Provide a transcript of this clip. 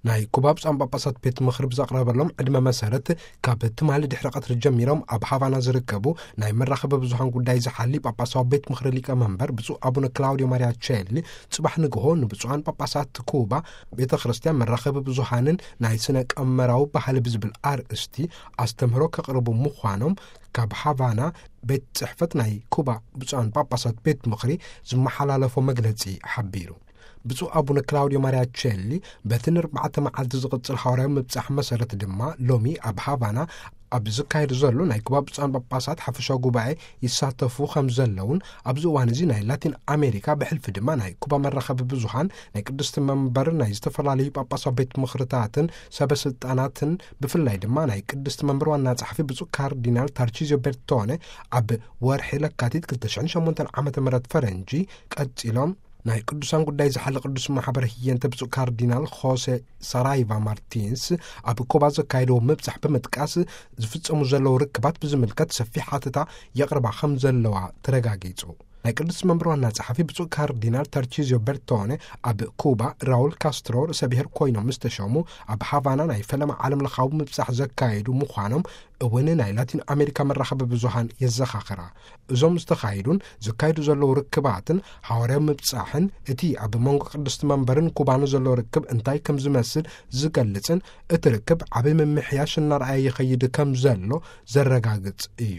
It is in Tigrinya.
ናይ ኩባ ብፁዓን ጳጳሳት ቤት ምኽሪ ብዘቕረበሎም ዕድመ መሰረት፣ ካብ ትማሊ ድሕሪ ቀትሪ ጀሚሮም ኣብ ሃቫና ዝርከቡ ናይ መራኸቢ ብዙሃን ጉዳይ ዝሓሊ ጳጳሳዊ ቤት ምኽሪ ሊቀ መንበር ብፁዕ ኣቡነ ክላውዲዮ ማርያ ቼሊ፣ ጽባሕ ንግሆ ንብፁዓን ጳጳሳት ኩባ ቤተ ክርስቲያን፣ መራኸቢ ብዙሃንን ናይ ስነ ቀመራዊ ባህሊ ብዝብል ኣርእስቲ ኣስተምህሮ ከቕርቡ ምዃኖም ካብ ሃቫና ቤት ጽሕፈት ናይ ኩባ ብፁዓን ጳጳሳት ቤት ምኽሪ ዝመሓላለፎ መግለጺ ሓቢሩ። ብፁዕ ኣቡነ ክላውዲዮ ማርያ ቼሊ፣ በቲ ንርባዕተ መዓልቲ ዝቕጽል ሓዋርያዊ ምብጻሕ መሰረት ድማ፣ ሎሚ ኣብ ሃቫና ኣብ ዝካየድ ዘሎ ናይ ኩባ ብፁዓን ጳጳሳት ሓፈሻዊ ጉባኤ ይሳተፉ ከም ዘለውን፣ ኣብዚ እዋን እዚ ናይ ላቲን ኣሜሪካ፣ ብሕልፊ ድማ ናይ ኩባ መራኸቢ ብዙሃን፣ ናይ ቅድስቲ መንበር ናይ ዝተፈላለዩ ጳጳሳዊ ቤት ምኽርታትን ሰበ ስልጣናትን፣ ብፍላይ ድማ ናይ ቅድስቲ መንበር ዋና ጸሓፊ ብፁዕ ካርዲናል ታርቺዚዮ ቤርቶነ፣ ኣብ ወርሒ ለካቲት ክልተ ሽሕን ሸሞንተን ዓመተ ምህረት ፈረንጂ ቀጺሎም ናይ ቅዱሳን ጉዳይ ዝሓሊ ቅዱስ ማሕበር ህየንተ ብፁዕ ካርዲናል ሆሴ ሳራይቫ ማርቲንስ ኣብ ኩባ ዘካየድዎ ምብጻሕ ብምጥቃስ፣ ዝፍጸሙ ዘለዉ ርክባት ብዝምልከት ሰፊሕ ሓተታ የቕርባ ከም ዘለዋ ተረጋጊጹ። ናይ ቅዱስ መንበር ዋና ጸሓፊ ብፁዕ ካርዲናል ታርቺዚዮ ቤርቶነ፣ ኣብ ኩባ ራውል ካስትሮ ርእሰ ብሔር ኮይኖም ምስ ተሸሙ፣ ኣብ ሃቫና ናይ ፈለማ ዓለም ለኻዊ ምብጻሕ ዘካየዱ ምዃኖም እውን ናይ ላቲን ኣሜሪካ መራኸቢ ብዙሃን የዘኻኽራ። እዞም ዝተኻየዱን ዝካየዱ ዘለዉ ርክባትን ሓዋርያዊ ምብጻሕን፣ እቲ ኣብ መንጎ ቅድስቲ መንበርን ኩባን ዘሎ ርክብ እንታይ ከም ዝመስል ዝገልጽን፣ እቲ ርክብ ዓቢ ምምሕያሽ እናርኣየ ይኸይድ ከም ዘሎ ዘረጋግጽ እዩ።